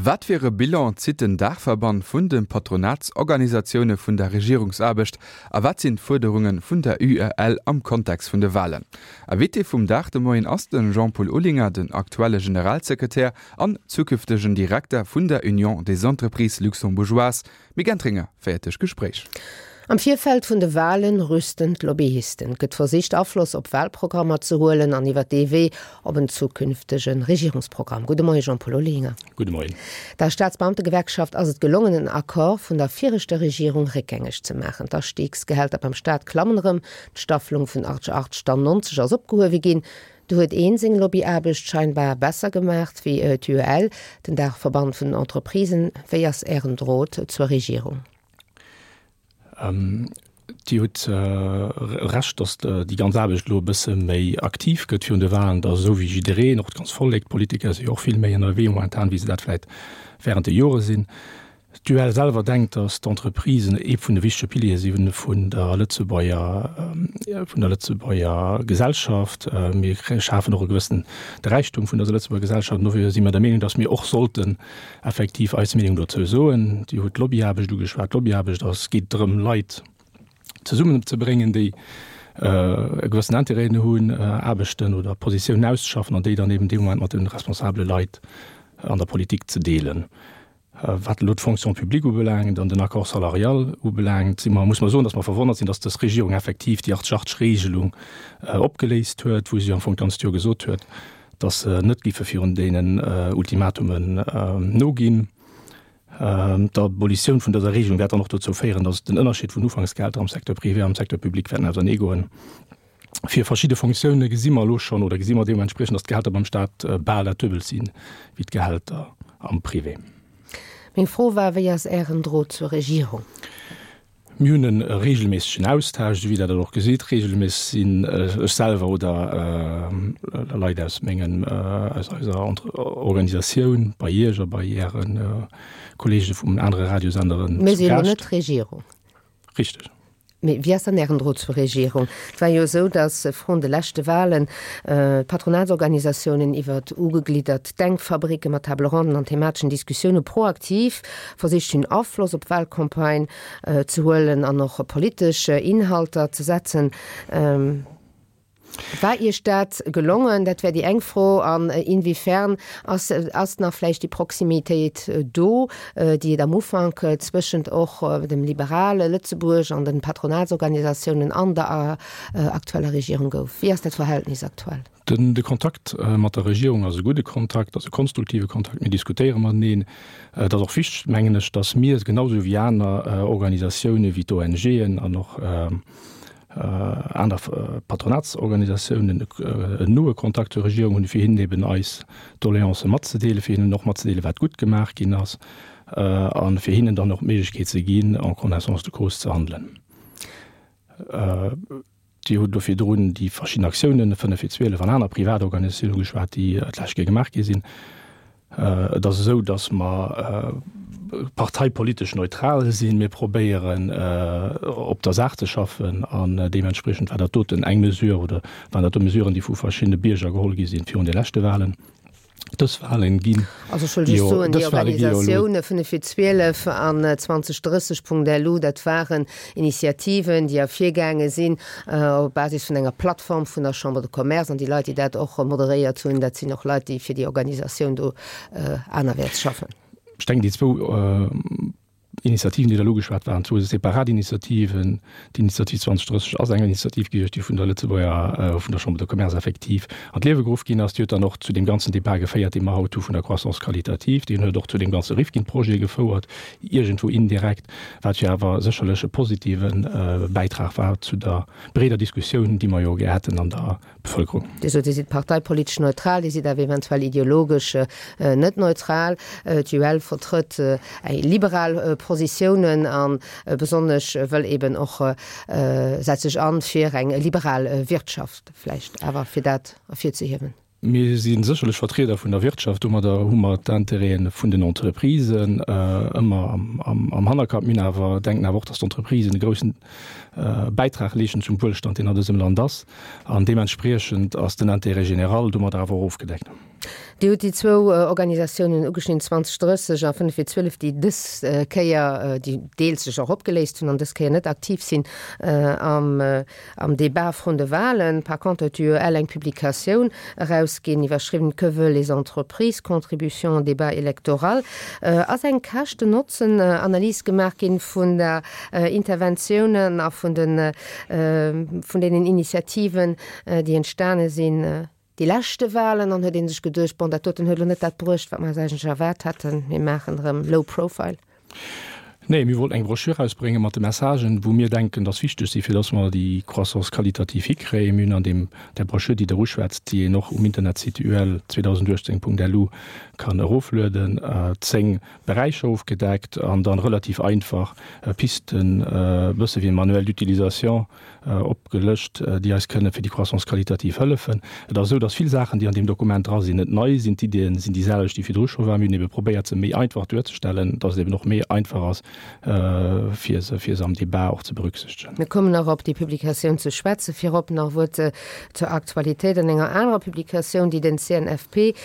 Wat fir e Bilan zitt den Daachverband vun de Patronatsorganisatioune vun der Regierungsaarbecht a wat sinn d'Fuerderunge vun der UEL am Kontext vun de Walen? Invité vum Dag de Moien ass de Jean-Paul Olinger, den aktuelle Generalsekretär an zukünftegen Direkter vun der Union des Entreprises Luxembourgeoises. Mick Entringer féiert duerch d'Gespréich. Am Virfeld vun de Walen rüsten d'Lobbyisten. Et gëtt versicht Afloss op Walprogrammer ze huelen an iwwer dee Wee op en zukünftege Regierungsprogramm. Gudde Moie Jean-Paul Olinger. Gudde Moien. Der Staatsbeamtegewerkschaft ass et gelongen en Accord vun der viregter Regierung réckgängeg ze maachen. D'Astiigsgehälter beim Staat klammen erëm, d'Staffelung vun 88 dann 90 ass opgehuewe ginn. Do huet een seng Lobbyaarbecht scheinbar besser gemaacht wéi d'UEL, den Daachverband vun den Entreprisen. Wéi ass Ären Drot zur Regierung? Dir hutt Recht, datt déi ganz Aarbecht elo e bësse méi aktiv gëtt virun de Wahlen, datt esou wéi jiddereen, och d'ganz Vollek, d'Politiker si jo och vill méi ënnerwee momentan, wéi se dat vläicht während de Jore sinn. D'UEL selwer denkt, datt d'Entreprisen ee vun de wichtege Piliere si vun der Lëtzebuerger, vun der Lëtzebuerger Gesellschaft. Mir schafen och e gewëssen de Räichtum vun der Lëtzebuerger Gesellschaft. An dofir si mer der Meenung, datt mir och sollten effektiv eis Meenung dozou soen. Dir hutt d'Lobbyaarbecht ugeschwat. D'Lobbyaarbecht ass, geet drëm, Leit zesummenzebréngen, déi e gewëssen Intérêt hunn, Aarbechten oder Positiounen auszeschaffen an déi dann eben dee Moment mat de responsabele Leit an der Politik ze deelen. Wat elo d'Fonction publique ubelaangt an den Accord salarial ubelaangt, si mer, muss mer soen, datt mer verwonnert sinn, datt dës Regierung effektiv déi 80-80-Regelung opgeléist huet, wou si am Fong d'ganzt Joer gesot huet, datt se net géife virun deenen Ultimatumen noginn. D'Abolitioun vun dëser Regelung wäert dann och dozou féieren, datt den Ënnerscheed vun Ufanksgehälter am Secteur privé an am Secteur public wäerten auserneegoen. Fir verschidde Fonctioune gesi mer elo schonn oder gesi mer deementspriechend, datt d'Gehälter beim Staat bal dat Duebelt si wéi d'Gehälter am Privé. Meng Fro war, Wéi ass Ären Drot zur Regierung? Mir hunn e reegelméissegen Austausch, esou wéi Der dat och gesitt. Reegelméisseg sinn ech selwer oder Leit aus mengem, aus eiser Organisatioun bei Iech a bei Äre Kolleege vun anere Radiosenderen zu Mir si elo net d'Regierung. Richteg. Mee wéi ass dann Ären Drot zur Regierung? Et war jo esou, datt vrun de leschte Wahlen d'Patronatsorganisatiounen iwwert ugegliddert Denkfabricke mat Table ronden an themateschen Diskussioune proaktiv versicht hunn, Afloss op d'Wahlcampagne ze huelen an och politesch Inhalter ze setzen. War Iech dat gelongen? Dat wär déi eng Fro. An inwiefern ass, ass nach vläicht déi Proximitéit do, déi et am Ufank zwëschent och dem liberale Lëtzebuerg an den Patronatsorganisatiounen an der aktueller Regierung gouf? Wéi ass dat Verhältnis aktuell? Den, de Kontakt mat der Regierung ass e gudde Kontakt, ass e konstruktive Kontakt. Mir diskutéiere mateneen. Et ass och wichteg, mengen ech, datt mir, genau esou wéi aner Organisatiounen, wéi d'ONGen an och, aner Patronatsorganisatiounen en noe Kontakt zur Regierung hunn, fir hinnen eben eis Doleancë matzedeelen, fir hinnen och matzedeelen, wat gutt gemaach ginn ass, a fir hinnen dann och d'Méiglechkeet ze ginn, en connaissance de cause ze handelen. Dir hutt elo virdrun déi verschidden Aktiounen, 5 fir 12 an aner privat Organisatiounen ugeschwat, déi d'lescht Kéier gemaach gi sinn. Et ass esou, datt mer parteipolitesch neutral sinn. Mir probéieren op der Saach ze schaffen an deementspriechend war dat doten eng Mesure oder waren dat do Mesuren, déi vu verschiddene Bierger geholl gi sinn virun de leschte Wahlen. Dës Wahlen ginn Also ech wëll just soen, déi Organisatioune 5 fir 12 an 2030.lu, dat waren Initiativen, déi ervirgaange sinn op Basis vun enger Plattform vun der Chambre de Commerce. An déi Leit, déi dat och moderéiert hunn, dat sinn och Leit, déi fir déi Organisatioun do anerwäerts schaffen. Ech denken, déi zwou Initiativen, déi Der elo ugeschwat, waren zwou separat Initiativen. D'Initiativ 2030 ass eng Initiativ gewiescht, déi vun der Lëtzebuerger, vun der Chambre de Commerce effektiv an d'Liewe geruff ginn ass. Déi huet dann och zu deem ganzen Debat geféiert, dee mer haut hu vun der Croissance qualitative. Déi huet och zu deem ganze Rifkin-Projet gefouert, iergendwou indirekt, wat jo awer sécherlech e positive Bäitrag war zu der breeder Diskussioun, déi mer jo gär hätten an der Bevëlkerung. Dir sot, Dir sidd parteipolitesch neutral, Dir sidd awer eventuell ideologesch net neutral. D'UEL vertrëtt eng liberal Positiounen a besonnesch wëll eben och, setzt sech an fir eng liberal Wirtschaft, vläicht awer fir dat ervirzehiewen. Mir si sécherlech Vertrieder vun der Wirtschaft. Domadder hu mer d'Intérêten vun den Entreprisen ëmmer am Hannerkapp. Mir hunn awer, denken awer och, dass d'Entreprisen e groussen Bäitrag leeschten zum Wuelstand, deen an dësem Land ass. An deementspriechend ass den Intérêt général domadder awer och ofgedeckt. Dir hutt déi zwou Organisatiounen ugeschnidden, 2030 a 5 vir 12, déi dës Kéier, déi deels sech och opgeléist hunn an dës Kéier net aktiv sinn am am Débat vrun de Wahlen. Par contre huet d'UEL eng Publikatioun erausginn, iwwerschriwwen Que veulent les entreprises? Contribution au débat électoral. Ass eng Käschten-Notzen-Analys gemaach ginn vun der Interventiounen a vun de vun deenen Initiativen, déi entstane sinn déi leschte Wahlen an huet ee sech geduecht, bon, dat doten huet elo net dat bruecht, wat mer eis eigentlech erwaart haten, mir maachen erëm low profile? Nee, mir wollten eng Broschür erausbrénge mat de Messagen, wou mir denken, dass wichteg sinn, fir dass mer déi Croissance qualitative hikréien. Mir hunn an deem, där Broschür, déi Der uschwätzt, déi een och um Internetsite ul2018.lu kann eroflueden, 10 Beräicher ofgedeckt an dann relativ einfach Pisten, e bësse wéi e Manuel d'utilisation, opgelëscht, déi eis kënne fir déi Croissance qualitative hëllefen. Et ass esou, dass vill Saachen, déi an deem Dokument dra sinn, net nei sinn. D'Iddien sinn déi selwecht, déi virdru scho waren. Mir hunn ebe probéiert, se méi einfach duerzestellen, dass et eben och méi einfach ass, fir se, fir se am Débat och ze berücksichtegen. Mir kommen nach op déi Publikatioun ze schwätzen. Virop nach e Wuert zur Aktualitéit an enger anerer Publikatioun, déi den CNFP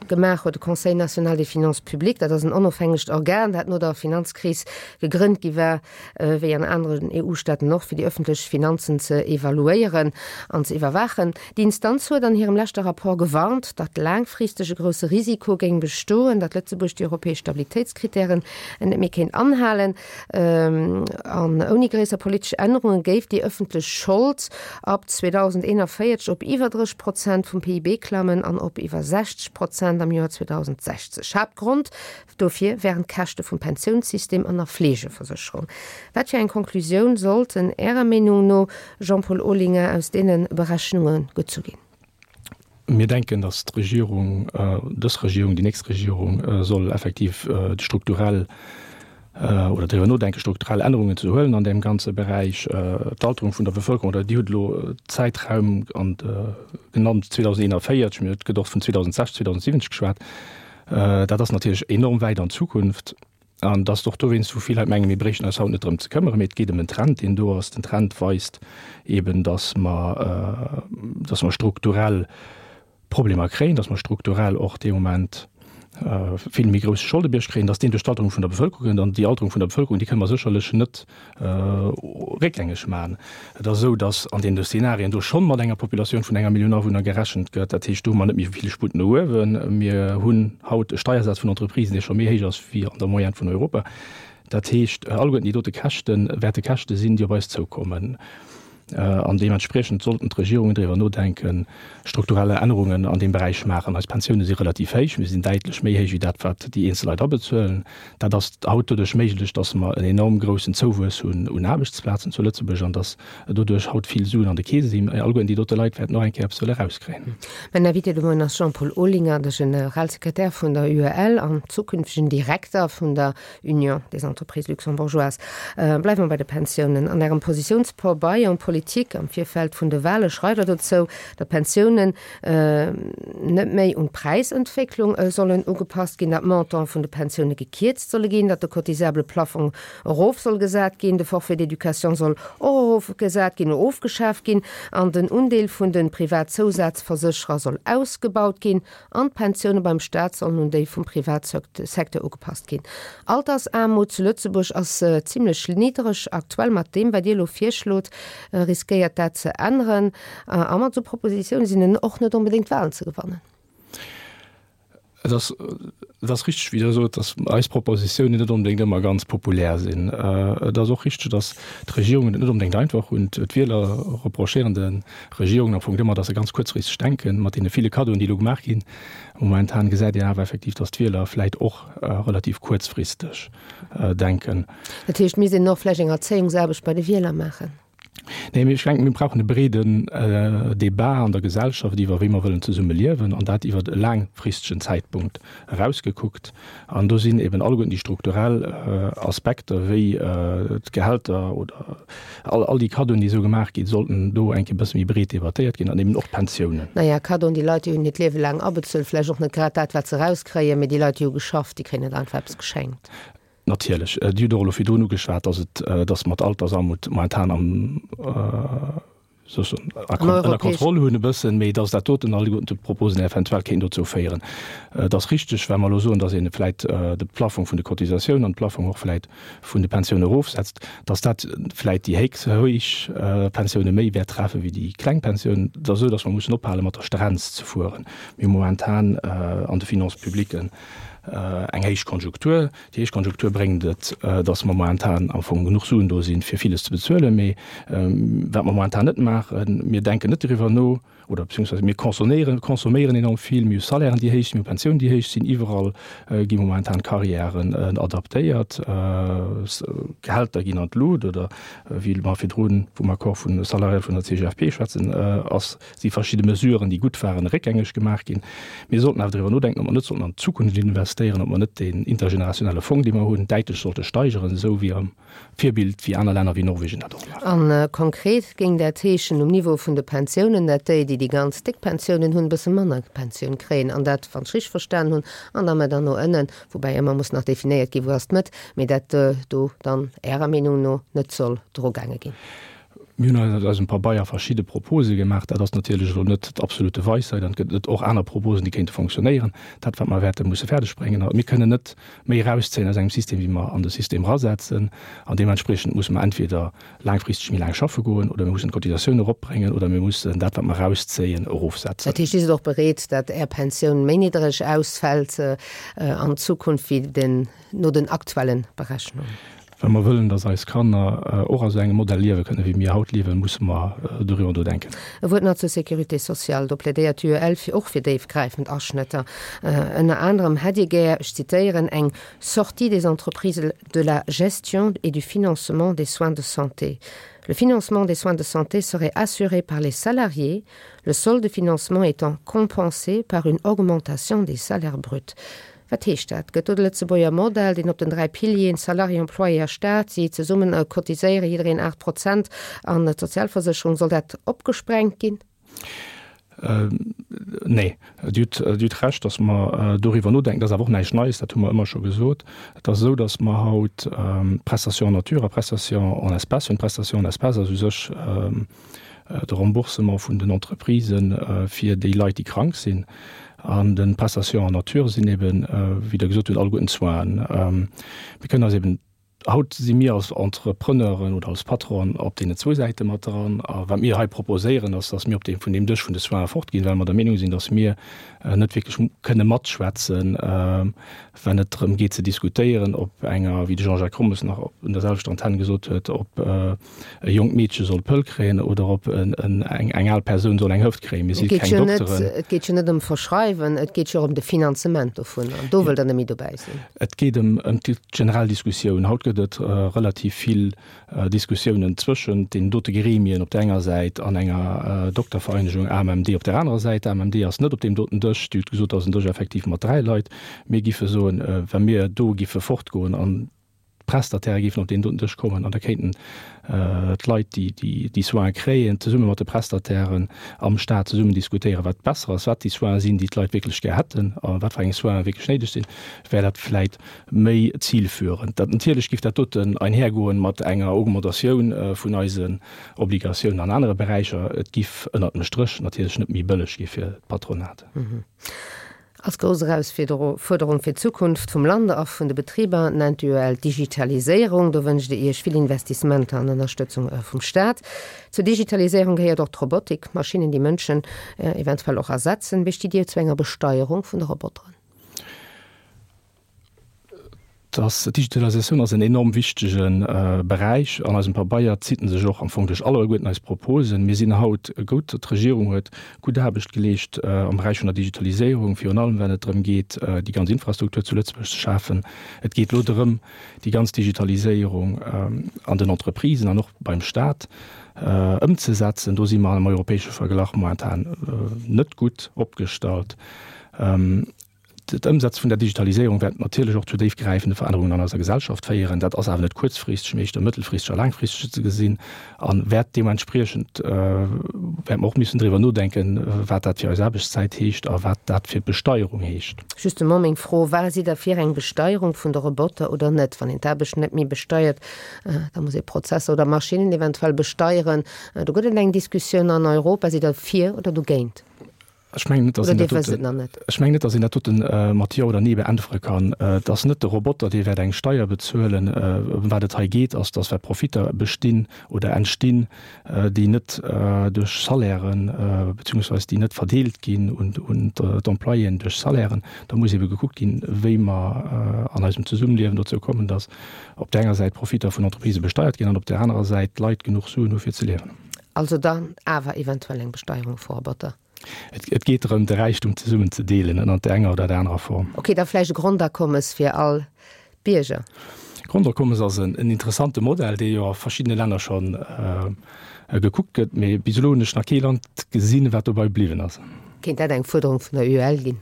gemaach huet, de Conseil national des finances publiques. Dat ass en onofhängegt Organ, dat no der Finanzkris gegrënnt gi war, wéi an aneren EU-Staaten och, fir déi ëffentlech Finanzen ze evaluéieren an ze iwwerwaachen. Déi Instanz huet an hirem leschte Rapport gewarnt, datt laangfristeg e grousse Risiko géing bestoen, datt Lëtzebuerg déi europäesch Stabilitéitskrittären net méi kéint anhalen. An ouni gréisser politesch Ännerunge géif déi ëffentlech Schold ab 2041 op iwwer 30 Prozent vum PIB klammen an op iwwer 60 Prozent am Joer 2060. Haaptgrond Dofir wären d'Käschte vum Pensiounssystem an der Fleegeversécherung. Wat fir eng Konklusioun sollten Ärer Meenung no, Jean-Paul Olinger, aus deene Berechnunge gezu ginn? Mir denken, datt d'Regierung, dës Regierung, déi nächst Regierung soll effektiv strukturell oder driwwer nodenken, strukturell Ännerungen ze huelen an deem ganze Beräich. D'Alterung vun der Bevëlkerung, oder Dir hutt elo Zäitraum genannt 2041, mee et gëtt och vun 2060, 2070 geschwat. Dat ass natierlech enorm wäit an d'Zukunft. An et ass och dowéinst, wou vill Leit mengen, mir bréichten eis haut net drëm ze këmmeren, mee et geet ëm en Trend, deen do ass. Den Trend weist eeben, datt mer, datt mer strukturell Problemer kréien, datt mer strukturell och dee Moment vill méi grousse Scholdebierg kréien, datt deen duerch d'Alterung vun der Bevëlkerung kënnt. An déi Alterung vun der Bevëlkerung, déi kënne mer sécherlech net réckgängeg maachen. Et ass esou, datt an deene Szenarien do schonn mat enger Populatioun vun enger Millioun Awunner gerechent gëtt. Dat heescht, do hu mer net méi vill Sputt no uewen. Mir hunn haut e Steiersaz vun Entreprisen, dee scho méi héich ass wéi an der Moyenne vun Europa. Dat heescht, alleguerten déi dote Käschte wäerte Käschte sinn, déi op eis zoukommen. An deementspriechend sollten d'Regierungen driwwer nodenken, strukturelle Ännerungen an deem Beräich maachen. Eis Pensioune si relativ héich, mee se sinn däitlech méi héich wéi dat, wat déi eenzel Leit abezuelen. Dat ass haut doduerch méiglech, dass mer en enorm groussen Zouwuess hunn un Aarbechtsplazen zu Lëtzebuerg an dass doduerch haut vill Suen an de Keese sinn. Alleguerten déi dote Leit wäerten och eng Kéier eppes wëlle erauskréien. Mäin Invité de Moien ass Jean-Paul Olinger, de Generalsekretär vun der UEL an zukünftegen Direkter vun der Union des entreprises luxembourgeoises. Bleiwe mer bei de Pensiounen. An Ärem Positiounspabeier um Politik am Virfeld vun de Wahle schreift Der dozou, datt d'Pensiounen net méi un d'Präisentwécklung sollen ugepasst ginn, datt d'Montant vun de Pensioune gekierzt solle ginn, datt de cotisable Plafong erof soll gesat ginn, de Forfait d'éducation soll och erofgesat ginn oder ofgeschaaft ginn an den Undeel vun de Privatzousazversécherer soll ausgebaut ginn. An d'Pensioune beim Staat sollen un déi vum Privatsecteur ugepasst ginn. Altersaarmut zu Lëtzebuerg ass zimlech niddereg aktuell. Mat deem, wat Dir elo virschlot, riskéiert dat ze änneren. A mat esou Propositioune sinn en och net onbedéngt Walen ze gewannen. Et ass, et ass richteg, wéi Der sot, datt eis Propositiounen net onbedéngt ëmmer ganz populär sinn. Et ass och richteg, datt d'Regierungen et net onbedéngt einfach hunn. D'Wieler reprochéieren de Regierungen am Fong ëmmer, datt se ganz kuerzfristeg denken, mat deene ville Kaddoen, déi elo gemaach ginn. Momentan gesäit een awer effektiv, datt d'Wieler vläit och relativ kuerzfristeg denken. Dat heescht, mir sinn och vläicht eng Erzéiungsaarbecht bei de Wieler maachen? Nee, mee ech denken, mir brauchen e breeden Débat an der Gesellschaft iwwer wéi mer wëllen zesumme liewen, an dat iwwer e laangfristegen Zäitpunkt erausgekuckt. An do sinn eben alleguerten déi strukturell Aspekter wéi d'Gehälter oder all, all déi Kaddoen, déi esou gemaach ginn, sollten do eng Kéier e bësse méi breet debattéiert ginn an eben och d'Pensiounen. Naja, Kaddoen, déi Leit, déi hunn hiert Liewe laang abezuelt, vläicht och net grad dat, wat se erauskréien, mee déi Leit, déi hu geschafft, déi kréien net einfach eppes geschenkt. Natierlech. Dir hutt och elo virdrun ugeschwat, dass et, dass mer d'Altersarmut momentan am. Ënner Kontroll hunn e bëssen, mee datt dat doten alleguerten d'Proposen eventuell kéinten dozou féieren. Et ass richteg, wa mer elo soen, datt ee vläit de Plafong vun de Cotisatiounen an de Plafong och vläit vun de Pensioune erofsetzt, datt dat vläit déi héich Pensioune méi wäert treffen wéi déi kleng Pensiounen. Et ass esou, datt mer mussen ophale mat der Strenz ze fueren. Mir hu momentan an de Finances publiques eng héich Konjunktur. Déi Héichkonjunktur bréngt et, dass mer momentan am Fong genuch Suen do sinn, fir villes ze bezuelen. Mee wat mer momentan net maachen, mir denken net doriwwer no, oder beziehungsweise mir consomméieren, consomméieren enorm vill. Mir hu Salairen, déi héich sinn, mir hu Pensiounen, déi héich sinn. Iwwerall gi momentan Carrièren adaptéiert, Gehälter ginn an d'Lut oder wéi mer virdrun vum Accord vun salarial vun der CGFP schwätzen, ass si verschidde Mesuren, déi gutt waren, réckgängeg gemaach ginn. Mir sollten awer driwwer nodenken, ob mer net sollten an d'Zukunft investéieren, ob mer net deen intergenerationelle Fong, dee mer hunn, däitlech sollte steigeren, esou wéi am Virbild, wéi aner Länner wéi Norwegen dat och maachen. A konkret géing dat heeschen um Niveau vun de Pensiounen, dat déi, déi déi ganz déck Pensiounen hunn, e bësse manner Pensioun kréien, an dat, wann ech richteg verstanen hunn, an der Mëtt an no ënnen, woubäi ëmmer muss nach definéiert ginn, wou ass d'Mëtt, mee dat do dann Ärer Meenung no net soll drugaange ginn. Mir hunn eis an eisem Pabeier verschidde Propose gemaach. Dat ass natierlech elo net d'absolute Weisheit an et gëtt net och aner Proposen, déi kéinte fonctionnéieren. Dat, wat mer wäerte musse fäerdegbréngen, a mir kënnen net méi erauszéien aus engem System, wéi mer an de System erasetzen. An deementspriechend musse mer entweder laangfristeg méi laang schaffe goen oder mir mussen d'Cotisatioun eropbréngen oder mir mussen dat, wat mer erauszéien, erofsetzen. Dat heescht, Dir sidd och bereet, datt Är Pensioun méi niddereg ausfält an Zukunft wéi den no den aktuellen Berechnungen. Wa mer wëllen, dass eis Kanner och a sou engem Modell liewe kënnen, wéi mir haut liewen, musse mer doriwwer nodenken. E Wuert nach zur Sécurité sociale. Do plädéiert d'UEL fir och fir déifgräifend Aschnëtter. Ënner anerem hätt Dir gär, ech zitéieren, eng sortie des entreprises de la gestion et du financement des soins de santé. Le financement des soins de santé serait assuré par les salariés, le solde de financement étant compensé par une augmentation des salaires bruts. Wat heescht dat? Gëtt do de Lëtzebuerger Modell, deen op den 3 Pilieren, Salarié, Employé a Staat, si zesummen cotiséiere jiddereen 8 Prozent an d'Sozialversécherung, soll dat opgesprengt ginn? Nee. Dir hutt Recht, datt mer doriwwer nodenken. Dat ass awer och näischt Neies, dat hu mer ëmmer scho gesot. Et ass esou, datt mer haut Prestation en nature a Prestation en espèces hunn. D'Prestation en espèces ass u sech de Remboursement vun den Entreprisen fir déi Leit, déi krank sinn. An de Prestations en nature sinn eben, wéi Der gesot hutt, alleguerten d'Soinen. Mir kënnen eis eben, haut si mir als Entrepreneuren oder als Patronen op deenen zwou Säite mat dran. A wat mir hei proposéieren, ass, dass mir op deem, vun deem Dësch vun de Soinen fortginn, well mer der Meenung sinn, dass mir net wierklech kënne matschwätzen, wann et drëm geet ze diskutéieren, ob enger, wéi de Jean-Jacques Rommes nach op un der selwechter Antenn gesot huet, ob e jonkt Meedche soll d'Pëll kréien oder ob eng al Persoun soll eng Hëft kréien. Mir si keng Dokteren. Et geet jo net ëm Verschreiwen, et geet jo och ëm de Finanzement dovun. An do wëllt Der net méi dobäi sinn. Et geet ëm déi generell Diskussioun. Haut gëtt et relativ vill Diskussiounen zwëschent deenen dote Gremien op der enger Säit an enger Doktervereinegung, AMMD, op der anerer Säit. D'AMMD ass net op deem doten Dësch. Dir hutt gesot, dat ass en Dësch effektiv mat 3 Leit. Mir giffe soen, wa mir do giffe fortgoen an d'Prestataire géifen op deen doten Dësch kommen an da kéinten d'Leit, déi déi Soine kréien, zesumme mat de Prestatairen am Staat zesummen diskutéieren, wat besser ass, wat déi Soine sinn, déi d'Leit wierklech gär hätten a wat fir eng Soine wierklech néideg sinn, wär dat vläit méi zilführend. Dat natierlech géif dat doten einhergoen mat enger Augmentatioun vun eisen Obligatiounen an anere Beräicher. Et giff ënnert dem Stréch natierlech net méi bëlleg gi fir d'Patronat. Als grouss Erausfuerderung fir d'Zukunft vum Land a vun de Betriber nennt d'UEL d'Digitaliséierung. Do wënscht e Iech vill Investissementer an Ënnerstëtzung vum Staat. Zur Digitaliséierung gehéiert och d'Robotik, Maschinnen, déi Mënschen eventuell och ersetzen. Wéi stitt Dir zu enger Besteierung vun de Roboteren? Dass d'Digitalisatioun ass en enorm wichtege Beräich. An eisem Pabeier zitt en sech och am Fong duerch alleguerten eis Proposen. Mir sinn haut gout, d'Regierung huet gutt Aarbecht geleescht am Beräich vun der Digitaliséierung, virun allem wenn et drëm geet, déi ganz Infrastruktur zu Lëtzebuerg ze schafen. Et geet elo drëm, déi ganz Digitaliséierung an den Entreprisen an och beim Stat ëmzesetzen. Do si mer am europäesche Verglach momentan net gutt opgestallt. D'Ëmsetze vun der Digitaliséierung wäert natierlech och zu déifgräifende Verännerungen an eiser Gesellschaft féieren. Dat ass awer net kuerzfristeg, mee éischter mëttelfristeg a laangfristeg ze gesinn a wäert deementspriechend, wäerte mer och missen driwwer nodenken, wat dat fir eis Aarbechtszäit heescht a wat dat fir d'Besteierung heescht. Justement meng Fro, War sidd Der fir eng Besteierung vun de Roboter oder net? Wann een d'Aarbecht net méi besteiert, da muss ee Prozesser oder Maschinnen eventuell besteieren. Do gëtt et eng Diskussioun an Europa. Sidd Der fir oder dogéint? Ech mengen net, dass een dat doten, ech mengen net, dass een dat doten mat Jo oder Nee beäntwere kann. Et ass net de Roboter, dee wäert eng Steier bezuelen. Ëm wat et hei geet, ass, dass wat Profitter bestinn oder entstinn, déi net duerch Salairen, beziehungsweise déi net verdeelt ginn un d'Employéen duerch Salairen. Da muss ebe gekuckt ginn, wéi mer an eisem Zesummeliewen dozou kommen, dass op där enger Säit d'Profitter vun Entreprisë besteiert ginn an op där anerer Säit d'Leit genuch Suen hu fir ze liewen. Also dann awer eventuell eng Besteierung vu Roboter? Et geet drëm, de Räichtum zesummen ze deelen, ënnert där enger oder där anerer Form. Ok, da vläicht e Grondakommes fir all Bierger? Grondakommes ass en interessante Modell, dee jo a verschiddene Länner scho gekuckt gëtt, mee bis elo hunn ech nach kee Land gesinn, wat dobei bliwwen ass. Kéint dat eng Fuerderung vun der UEL ginn?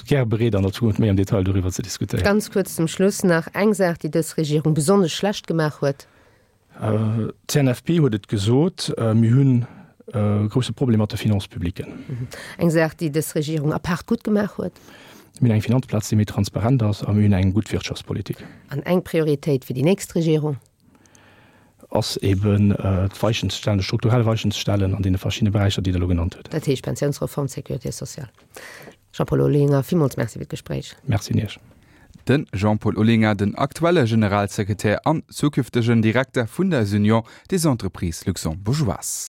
Gäre bereet, an der Zukunft méi am Detail doriwwer ze diskutéieren. Ganz kuerz zum Schluss nach eng Saach, déi dës Regierung besonnesch schlecht gemaach huet. D'CNFP huet et gesot, mir hunn e grousse Problem mat de Finances publiques. Eng Saach, déi dës Regierung apaart gutt gemaach huet. Mir hunn eng Finanzplaz, déi méi transparent ass a mir hunn eng gutt Wirtschaftspolitik. An eng Prioritéit fir déi nächst Regierung? Ass eben d'Weichen ze stellen, strukturell Weichen ze stellen an deene verschiddene Beräicher, déi Der elo genannt hutt. Dat heescht Pensiounsreform, Sécurité sociale. Jean-Paul Olinger, villmools Merci fir d'Gespréich. Merci un Iech. De Jean-Paul Olinger, den aktuelle Generalsekretär an zukünftegen Direkter vun der Union des entreprises luxembourgeoises.